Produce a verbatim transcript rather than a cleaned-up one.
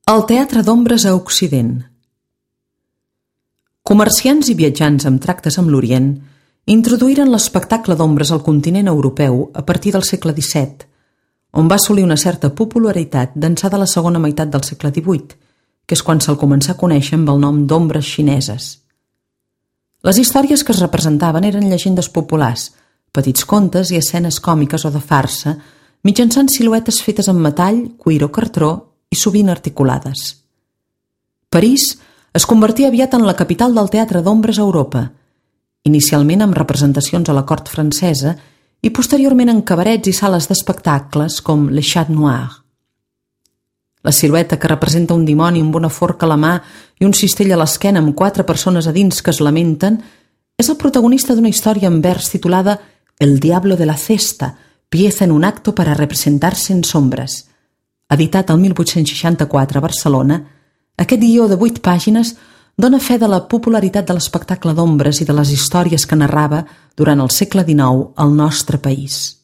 El teatre d'ombres a Occident. Comerciants i viatjants amb tractes amb l'Orient introduïren l'espectacle d'ombres al continent europeu a partir del segle disset, on va assolir una certa popularitat d'ençà de la segona meitat del segle divuit, que és quan se'l començà a conèixer amb el nom d'ombres xineses. Les històries que es representaven eren llegendes populars, petits contes i escenes còmiques o de farsa, mitjançant siluetes fetes amb metall, cuir o cartró i sovint articulades. París es convertia aviat en la capital del teatre d'ombres a Europa, inicialment amb representacions a la cort francesa i posteriorment en cabarets i sales d'espectacles com Le Chat Noir. La silueta que representa un dimoni amb una forca a la mà i un cistell a l'esquena amb quatre persones a dins que es lamenten és el protagonista d'una història en vers titulada El diablo de la cesta, pieza en un acto para representarse en sombras. Editat el mil vuit-cents seixanta-quatre a Barcelona, aquest guió de vuit pàgines dona fe de la popularitat de l'espectacle d'ombres i de les històries que narrava durant el segle dinou al nostre país.